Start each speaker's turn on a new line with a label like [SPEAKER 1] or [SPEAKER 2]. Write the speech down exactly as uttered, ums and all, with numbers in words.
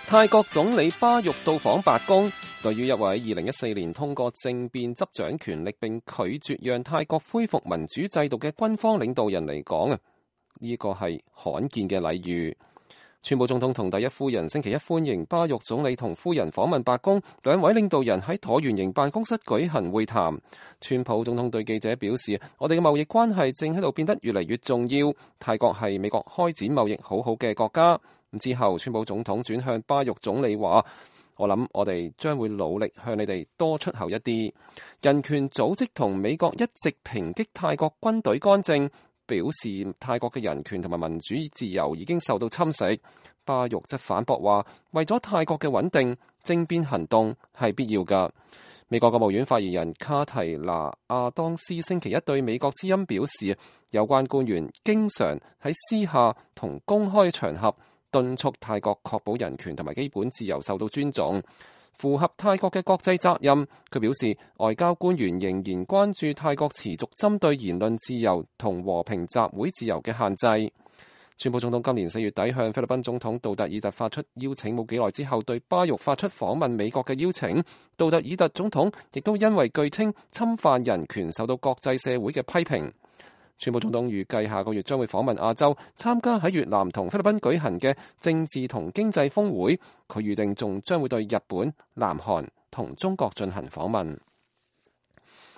[SPEAKER 1] 泰國總理巴育到訪白宮，對於一位二零一四年通過政變執掌權力並拒絕讓泰國恢復民主制度嘅軍方領導人嚟講啊，呢個係罕見嘅禮遇。川普總統同第一夫人星期一歡迎巴育總理同夫人訪問白宮，兩位領導人喺橢圓形辦公室舉行會談。川普總統對記者表示：我哋嘅貿易關係正喺度變得越嚟越重要，泰國係美國開展貿易好好嘅國家。之後，川普總統轉向巴育總理話：我諗我哋將會努力向你哋多出口一啲。人權組織同美國一直抨擊泰國軍隊干政，表示泰國嘅人權同埋民主自由已經受到侵蝕。巴育則反駁話：為咗泰國嘅穩定，政變行動係必要㗎。美國國務院發言人卡提拿亞當斯星期一對美國之音表示，有關官員經常喺私下同公開場合敦促泰國確保人權同埋基本自由受到尊重，符合泰國嘅國際責任。佢表示，外交官員仍然關注泰國持續針對言論自由同和平集會自由嘅限制。川普總統今年四月底向菲律賓總統杜特爾特發出邀請，冇幾耐之後對巴育發出訪問美國嘅邀請。杜特爾特總統亦都因為據稱侵犯人權受到國際社會嘅批評。川普總統預計下個月將會訪問亞洲，參加喺越南同菲律賓舉行嘅政治同經濟峰會。佢預定仲將會對日本、南韓同中國進行訪問。